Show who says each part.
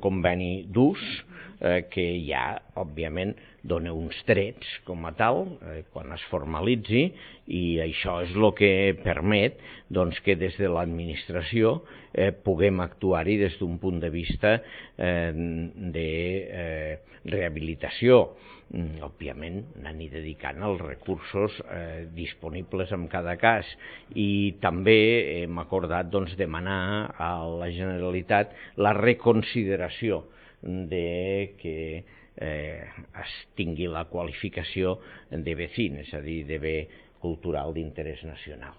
Speaker 1: conveni d'ús que ja, òbviament, dona uns drets com a tal quan es formalitzi, i això és el que permet que des de l'administració puguem actuar-hi des d'un punt de vista de rehabilitació. Òbviament, anant-hi dedicant els recursos disponibles en cada cas, i també hem acordat demanar a la Generalitat la reconsideració de que es tingui la qualificació de BCIN, és a dir, de bé cultural d'interès nacional.